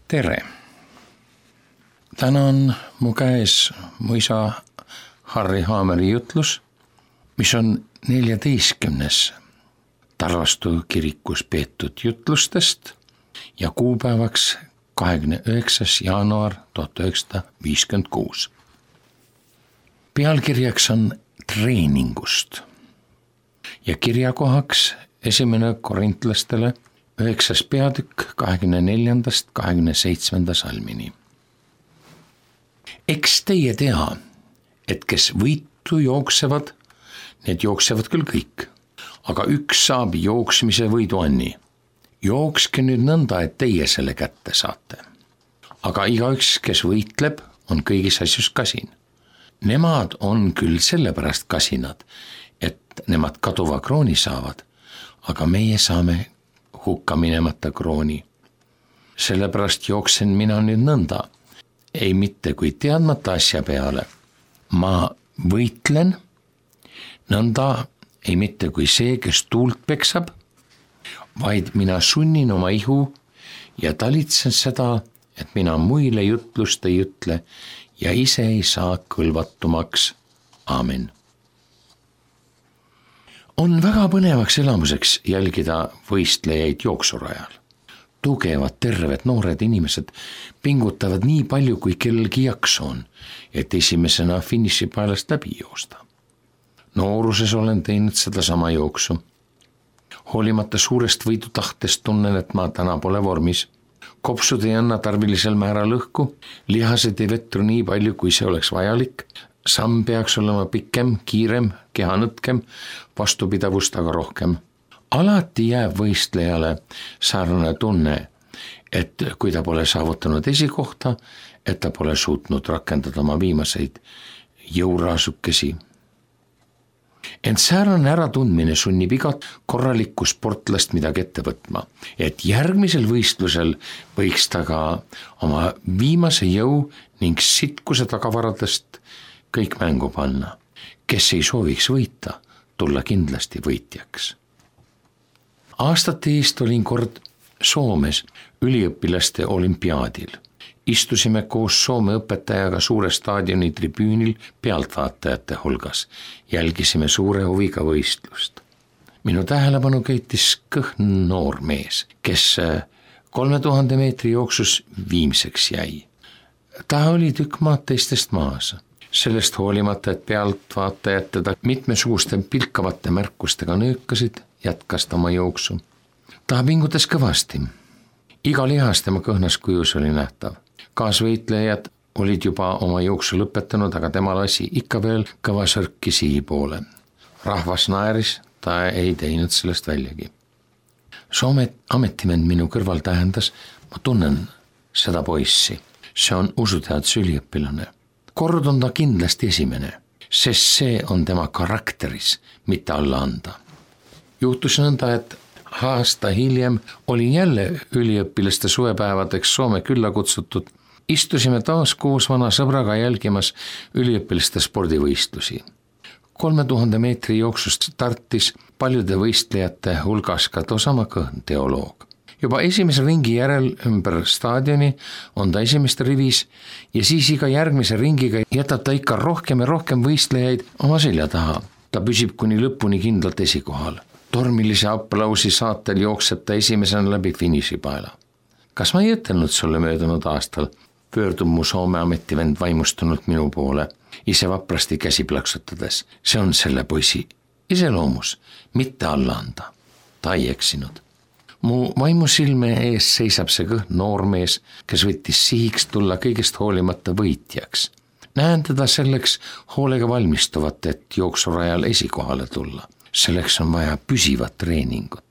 tere! Täna on mu käes mu isa Harri Haameri jutlus, mis on 14. Tarvastu kirikus peetud jutlustest ja kuupäevaks 29. jaanuar 1956. Pealkirjaks on treeningust ja kirjakohaks 1. Korintlastele 9. peatükk 24.–27. salmini. Eks teie tea, et kes võitu jooksevad, need jooksevad küll kõik, aga üks saab jooksmise võidu anni. Jookske nüüd nõnda, et teie selle kätte saate. Aga igaüks, kes võitleb, on kõigis asjus kasin. Nemad on küll sellepärast kasinad, et nemad kaduva krooni saavad, aga meie saame hukka minemata krooni. Sellepärast jooksen mina nüüd nõnda, ei mitte kui teadmata asja peale. Ma võitlen nõnda, ei mitte kui see, kes tuult peksab, vaid mina sunnin oma ihu ja talitsen seda, et mina muile jutlust ei ütle ja ise ei saa kõlvatumaks. Aamen. On väga põnevaks elamuseks jälgida võistlejaid jooksurajal. Tugevad, terved, noored inimesed pingutavad nii palju, kui kellelgi jaksu on, et esimesena finišipaelast läbi joosta. Nooruses olen teinud seda sama jooksu. Hoolimata suurest võidutahtest tunnen, et ma täna pole vormis. Kopsud ei anna tarvilisel määral õhku, lihased ei vetru nii palju, kui see oleks vajalik. Samm peaks olema pikem, kiirem, keha nõtkem, vastupidavust aga rohkem. Alati jääb võistlejale sarnane tunne, et kui ta pole saavutanud esikohta, et ta pole suutnud rakendada oma viimaseid jõuraasukesi. Ent säärane äratundmine sunnib igat korralikku sportlast midagi ette võtma, et järgmisel võistlusel võiks ta ka oma viimase jõu ning sitkuse tagavaradest kõik mängu panna. Kes ei sooviks võita, tulla kindlasti võitjaks. Aastate eest olin kord Soomes üliõpilaste olümpiaadil. Istusime koos Soome õpetajaga suure staadioni tribüünil pealtvaatajate hulgas. Jälgisime suure huviga võistlust. Minu tähelepanu köitis kõhn noor mees, kes 3000 meetri jooksus viimseks jäi. Ta oli tükk maad teistest maas. Sellest hoolimata, et pealtvaatajad teda mitmesuguste pilkavate märkustega nöökasid, jätkas ta oma jooksu. Ta pingutas kõvasti. Iga lihas tema kõhnas kujus oli nähtav. Kaasvõitlejad olid juba oma jooksu lõpetanud, aga tema lasi ikka veel kõva sörki sihi poole. Rahvas naeris, ta ei teinud sellest väljagi. Soome ametivend minu kõrval tähendas, ma tunnen seda poissi. See on usuteaduse üliõpilane. Kord on ta kindlasti esimene, sest see on tema karakteris, mitte alla anda. Juhtus nõnda, et aasta hiljem olin jälle üliõpilaste suvepäevadeks Soome külla kutsutud. Istusime taas koos vana sõbraga jälgimas üliõpilaste spordivõistlusi. 3000 meetri jooksust startis paljude võistlejate hulgas ka tosama kõhn teoloog. Juba esimese ringi järel ümber staadioni on ta esimeste rivis ja siis iga järgmise ringiga jätab ta ikka rohkem ja rohkem võistlejaid oma selja taha. Ta püsib kuni lõpuni kindlalt esikohal. Tormilise aplausi saatel jookseb ta esimesena läbi finišipaela. Kas ma ei ütelnud sulle möödunud aastal? Pöördub mu Soome ametivend vaimustunult minu poole, ise vaprasti käsi plaksutades. See on selle poisi iseloomus, mitte alla anda. Ta ei eksinud. Mu vaimusilme ees seisab see kõhn noormees, kes võttis sihiks tulla kõigest hoolimata võitjaks. Näen teda selleks hoolega valmistuvat, et jooksurajal esikohale tulla. Selleks on vaja püsivat treeningut.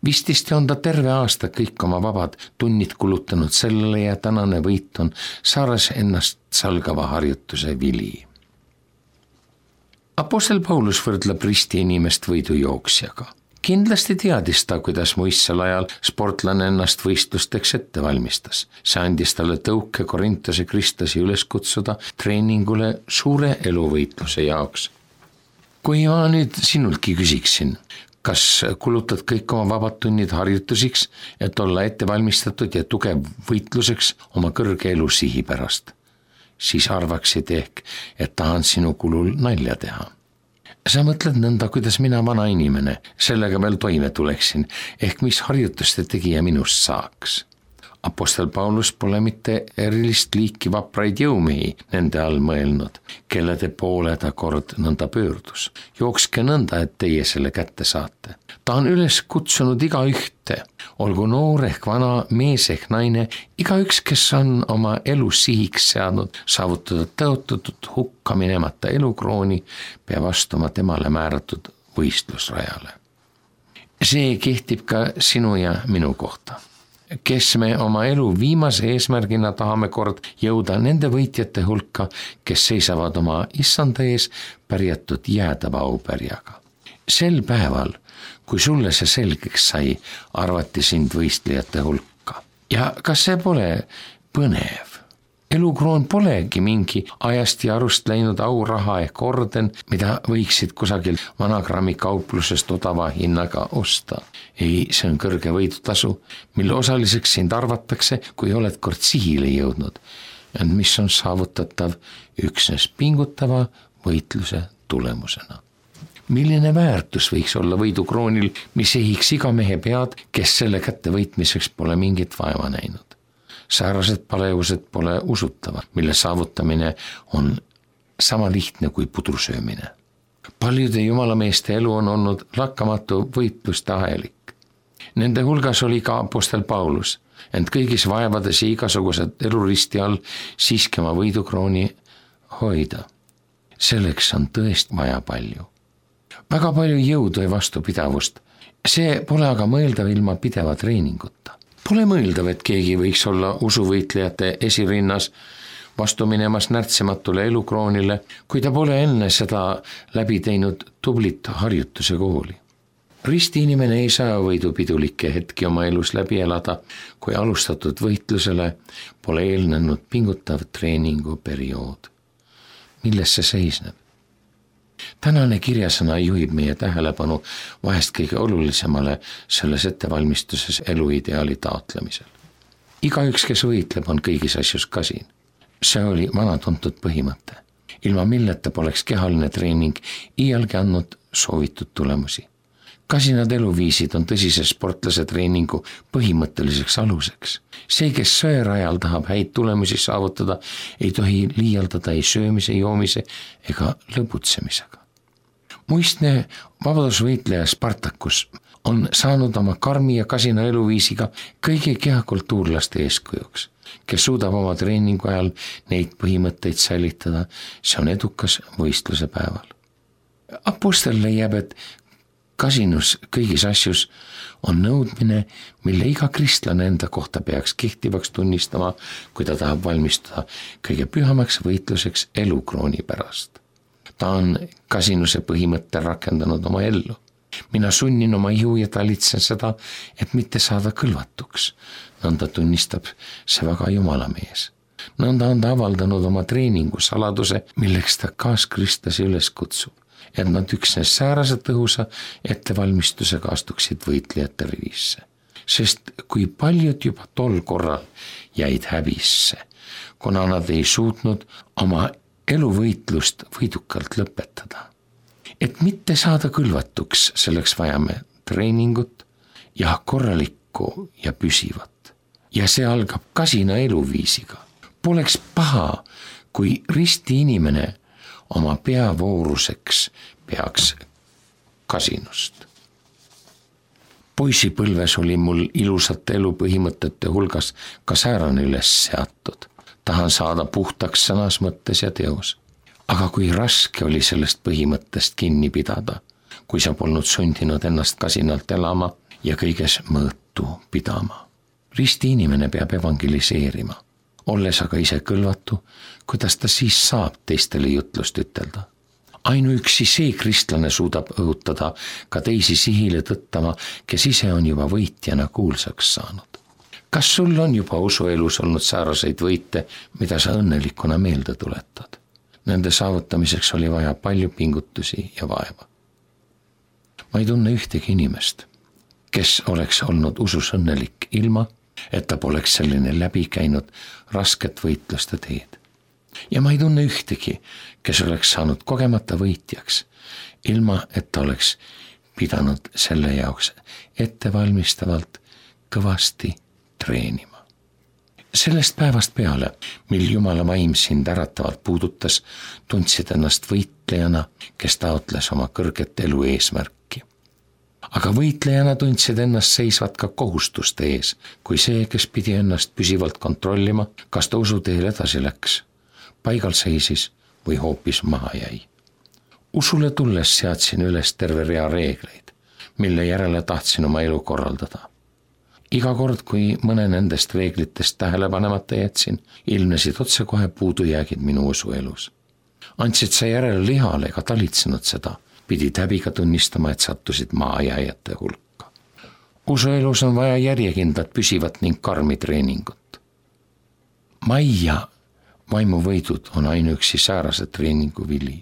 Vististi on ta terve aasta kõik oma vabad tunnid kulutanud sellele ja tänane võit on saares ennast salgava harjutuse vili. Apostel Paulus võrdleb risti inimest võidujooksjaga. Kindlasti teadis ta, kuidas muistsel ajal sportlane ennast võistlusteks ette valmistas. See andis talle tõuke Korintuse kristlasi üles kutsuda treeningule suure eluvõitluse jaoks. Kui ma nüüd sinultki küsiksin, kas kulutad kõik oma vabad tunnid harjutusiks, et olla ettevalmistatud ja tugev võitluseks oma kõrge elusihi pärast? Siis arvaksid ehk, et tahan sinu kulul nalja teha. Sa mõtled nõnda, kuidas mina vana inimene sellega veel toime tuleksin, ehk mis harjutuste tegija minust saaks. Apostel Paulus pole mitte erilist liiki vapraid jõumehi nende all mõelnud, kellede poole ta kord nõnda pöördus. Jookske nõnda, et teie selle kätte saate. Ta on üles kutsunud igaühte, olgu noor ehk vana, mees ehk naine, igaüks, kes on oma elu sihiks seadnud, saavutada tõotatud hukka minemata elukrooni, peab astuma temale määratud võistlusrajale. See kehtib ka sinu ja minu kohta, kes me oma elu viimase eesmärgina tahame kord jõuda nende võitjate hulka, kes seisavad oma issanda ees pärjatud jäädava aupärjaga. Sel päeval, kui sulle see selgeks sai, arvati sind võistlejate hulka. Ja kas see pole põnev? Elukroon polegi mingi ajast ja arust läinud auraha ehk orden, mida võiksid kusagil vanagrammi kauplusest odava hinnaga osta. Ei, see on kõrge võidutasu, mille osaliseks sind arvatakse, kui oled kord sihile jõudnud, ent mis on saavutatav üksnes pingutava võitluse tulemusena. Milline väärtus võiks olla võidukroonil, mis ehiks iga mehe pead, kes selle kätte võitmiseks pole mingit vaeva näinud? Säärased palevused pole usutavad, mille saavutamine on sama lihtne kui pudrusöömine. Paljude jumalameeste elu on olnud lakkamatu võitluste ahelik. Nende hulgas oli ka apostel Paulus, ent kõigis vaevades ja igasugused eluristi all siiski oma võidukrooni hoida. Selleks on tõesti vaja palju. Väga palju jõudu ja vastupidavust. See pole aga mõeldav ilma pideva treeninguta. Pole mõeldav, et keegi võiks olla usuvõitlejate esirinnas vastu minemas närtsematule elukroonile, kui ta pole enne seda läbi teinud tublit harjutuse kooli. Ristiinimene ei saa võidupidulikke hetki oma elus läbi elada, kui alustatud võitlusele pole eelnenud pingutav treeninguperiood. Milles see seisneb? Tänane kirjasõna juhib meie tähelepanu vahest kõige olulisemale selles ettevalmistuses eluideaali taotlemisel. Igaüks, kes võitleb, on kõigis asjus kasin. See oli vanatuntud põhimõte, ilma milleta poleks kehaline treening iialgi andnud soovitud tulemusi. Kasinad eluviisid on tõsise sportlase treeningu põhimõtteliseks aluseks. See, kes söörajal tahab häid tulemusi saavutada, ei tohi liialdada ei söömise, joomise ega lõbutsemisega. Muistne vabadusvõitleja Spartakus on saanud oma karmi ja kasina eluviisiga kõigi kehakultuurlaste eeskujuks, kes suudab oma treeningu ajal neid põhimõtteid säilitada. See on edukas võistluse päeval. Apostel leiab, et kasinus kõigis asjus on nõudmine, mille iga kristlane enda kohta peaks kehtivaks tunnistama, kui ta tahab valmistuda kõige pühamaks võitluseks elukrooni pärast. Ta on kasinuse põhimõtte rakendanud oma ellu. Mina sunnin oma ihu ja talitsen seda, et mitte saada kõlvatuks. Nõnda tunnistab see väga jumalamees. Nõnda on ta avaldanud oma treeningu saladuse, milleks ta kaaskristlasi üles kutsub, et nad üksnes säärase tõhusa ettevalmistusega astuksid võitlejate rivisse. Sest kui paljud juba tol korral jäid häbisse, kuna nad ei suutnud oma eluvõitlust võidukalt lõpetada. Et mitte saada kõlvatuks, selleks vajame treeningut ja korralikku ja püsivat. Ja see algab kasina eluviisiga. Poleks paha, kui risti inimene oma peavooruseks peaks kasinust. Poisipõlves oli mul ilusate elupõhimõtete hulgas ka säärane üles seatud. Tahan saada puhtaks sõnas, mõttes ja teos. Aga kui raske oli sellest põhimõttest kinni pidada, kui sa polnud sundinud ennast kasinalt elama ja kõiges mõõtu pidama. Risti inimene peab evangeliseerima. Olles aga ise kõlvatu, kuidas ta siis saab teistele jutlust ütelda? Ainuüksi see kristlane suudab õhutada ka teisi sihile tõttama, kes ise on juba võitjana kuulsaks saanud. Kas sul on juba usuelus olnud sääraseid võite, mida sa õnnelikuna meelde tuletad? Nende saavutamiseks oli vaja palju pingutusi ja vaeva. Ma ei tunne ühtegi inimest, kes oleks olnud usus õnnelik ilma, et ta poleks selline läbi käinud rasket võitluste teed. Ja ma ei tunne ühtegi, kes oleks saanud kogemata võitjaks, ilma et ta oleks pidanud selle jaoks ettevalmistavalt kõvasti treenima. Sellest päevast peale, mil Jumala vaim sind äratavalt puudutas, tundsid ennast võitlejana, kes taotles oma kõrget elu eesmärki. Aga võitlejana tundsid ennast seisvat ka kohustuste ees, kui see, kes pidi ennast püsivalt kontrollima, kas ta usuteel edasi läks, paigal seisis või hoopis maha jäi. Usule tulles seadsin üles terve rea reegleid, mille järele tahtsin oma elu korraldada. Iga kord, kui mõne nendest reeglitest tähele panemata jätsin, ilmnesid otsekohe puudujäägid minu usuelus. Andsid sa järele lihale ega talitsenud seda, pidid häbiga tunnistama, et sattusid maajääjate hulka. Usuelus on vaja järjekindlat, püsivat ning karmi treeningut. Mai ja vaimuvõidud on ainuüksi säärase treeningu vili.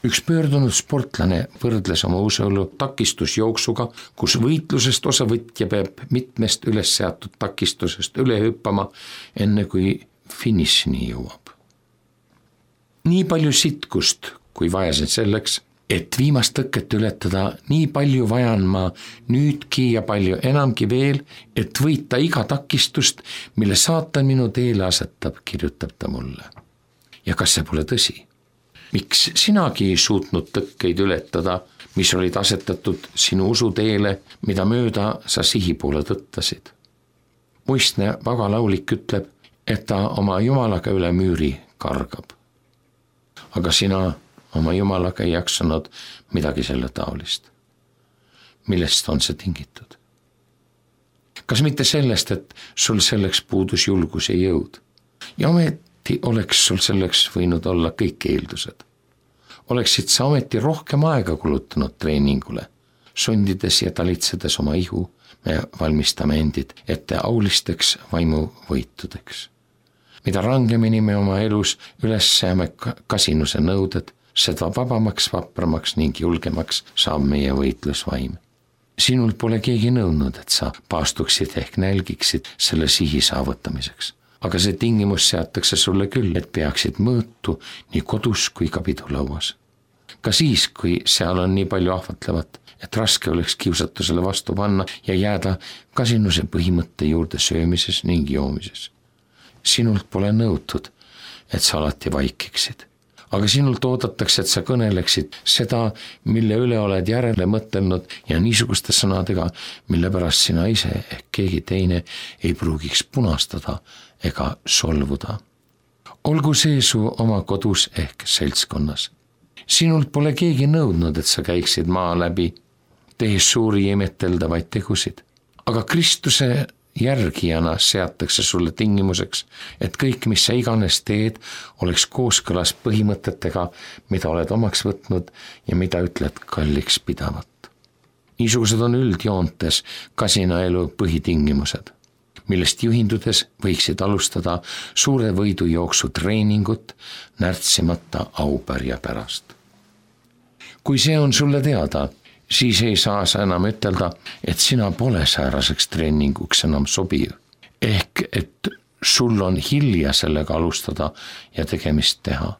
Üks pöördunud sportlane võrdles oma usuelu takistusjooksuga, kus võitlusest osavõtja peab mitmest üles seatud takistusest üle hüppama, enne kui finišini jõuab. Nii palju sitkust, kui vajasin selleks, et viimast tõket ületada, nii palju vajan ma nüüdki ja palju enamgi veel, et võita iga takistust, mille saatan minu teele asetab, kirjutab ta mulle. Ja kas see pole tõsi? Miks sinagi ei suutnud tõkkeid ületada, mis olid asetatud sinu usuteele, mida mööda sa sihi poole tõttasid? Muistne vagalaulik ütleb, et ta oma Jumalaga üle müüri kargab. Aga sina oma Jumalaga ei jaksanud midagi selle taolist. Millest on see tingitud? Kas mitte sellest, et sul selleks puudus julgus ja jõud? Ja oleks sul selleks võinud olla kõik eeldused. Oleksid sa ometi rohkem aega kulutanud treeningule, sundides ja talitsedes oma ihu, me valmistame endid ette aulisteks vaimuvõitudeks. Mida rangemini me oma elus üles seame kasinuse nõuded, seda vabamaks, vapramaks ning julgemaks saab meie võitlusvaim. Sinult pole keegi nõudnud, et sa paastuksid ehk nälgiksid selle sihi saavutamiseks. Aga see tingimus seatakse sulle küll, et peaksid mõõtu nii kodus kui ka pidulauas. Ka siis, kui seal on nii palju ahvatlevat, et raske oleks kiusatusele vastu panna ja jääda kasinuse põhimõtte juurde söömises ning joomises. Sinult pole nõutud, et sa alati vaikiksid. Aga sinult oodatakse, et sa kõneleksid seda, mille üle oled järele mõtelnud ja niisuguste sõnadega, mille pärast sina ise ehk keegi teine ei pruugiks punastada ega solvuda. Olgu see su oma kodus ehk seltskonnas. Sinult pole keegi nõudnud, et sa käiksid maa läbi, tehes suuri imeteldavaid tegusid. Aga Kristuse järgijana seatakse sulle tingimuseks, et kõik, mis sa iganes teed, oleks kooskõlas põhimõtetega, mida oled omaks võtnud ja mida ütled kalliks pidavat. Niisugused on üldjoontes kasina elu põhitingimused, millest juhindudes võiksid alustada suure võidujooksu treeningut närtsimata aupärja pärast. Kui see on sulle teada, siis ei saa sa enam ütelda, et sina pole sääraseks treeninguks enam sobiv. Ehk, et sul on hilja sellega alustada ja tegemist teha.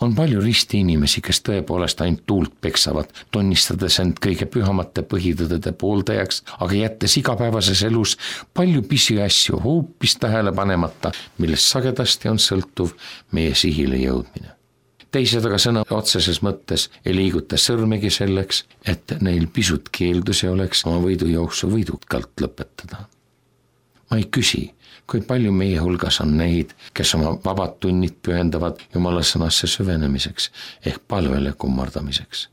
On palju risti inimesi, kes tõepoolest ainult tuult peksavad, tunnistades end kõige pühamate põhitõdede pooldajaks, aga jättes igapäevases elus palju pisiasju hoopis tähele panemata, millest sagedasti on sõltuv meie sihile jõudmine. Teised aga sõna otseses mõttes ei liiguta sõrmegi selleks, et neil pisut keeldusi oleks oma võidujooksu võidukalt lõpetada. Ma ei küsi, kui palju meie hulgas on neid, kes oma vabad tunnid pühendavad Jumala sõnasse süvenemiseks ehk palvele kummardamiseks.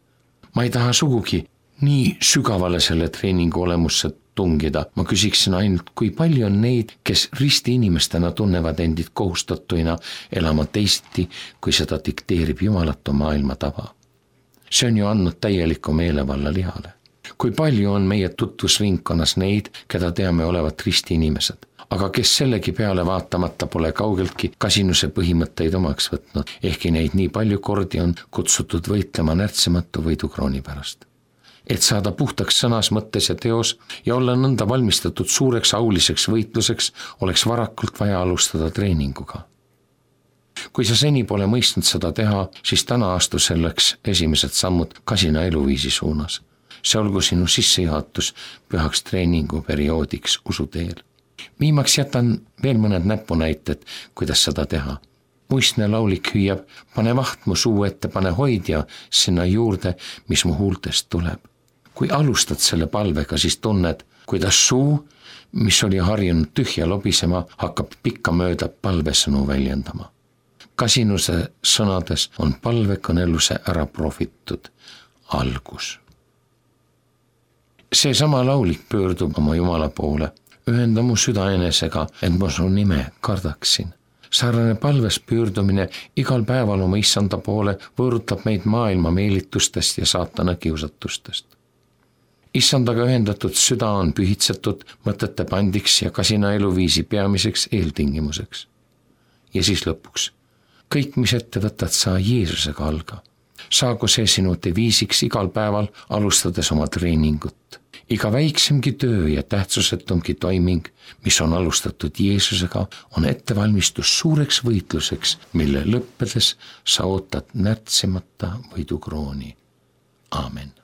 Ma ei taha sugugi nii sügavale selle treeningu olemusse tungida. Ma küsiksin ainult, kui palju on neid, kes risti inimestena tunnevad endid kohustatuina elama teisiti, kui seda dikteerib jumalatu maailma tava. See on ju andnud täieliku meelevalla lihale. Kui palju on meie tutvusringkonnas neid, keda teame olevat risti inimesed, aga kes sellegi peale vaatamata pole kaugeltki kasinuse põhimõtteid omaks võtnud, ehkki neid nii palju kordi on kutsutud võitlema närtsimatu võidukrooni pärast. et saada puhtaks sõnas, mõttes ja teos ja olla nõnda valmistatud suureks auliseks võitluseks, oleks varakult vaja alustada treeninguga. Kui sa seni pole mõistnud seda teha, siis täna astu selleks esimesed sammud kasina eluviisi suunas. See olgu sinu sissejuhatus pühaks treeninguperioodiks usuteel. Viimaks jätan veel mõned näpunäited, kuidas seda teha. Muistne laulik hüüab, pane vaht mu suu ette, pane hoidja sinna juurde, mis mu huultest tuleb. Kui alustad selle palvega, siis tunned, kuidas suu, mis oli harjunud tühja lobisema, hakkab pikkamööda palvesõnu väljendama. Kasinuse sõnades on palvekõneluse ära profitud algus. Seesama laulik pöördub oma Jumala poole. Ühenda mu süda enesega, et ma su nime kardaksin. Sarnane palves pöördumine igal päeval oma issanda poole võõrutab meid maailma meelitustest ja saatana kiusatustest. Issandaga ühendatud süda on pühitsetud mõtete pandiks ja kasina eluviisi peamiseks eeltingimuseks. Ja siis lõpuks, kõik, mis ette võtad, saa Jeesusega alga. Saagu see sinu deviisiks igal päeval, alustades oma treeningut. Iga väiksemgi töö ja tähtsusetumgi toiming, mis on alustatud Jeesusega, on ettevalmistus suureks võitluseks, mille lõppedes sa ootad närtsimata võidukrooni. Aamen.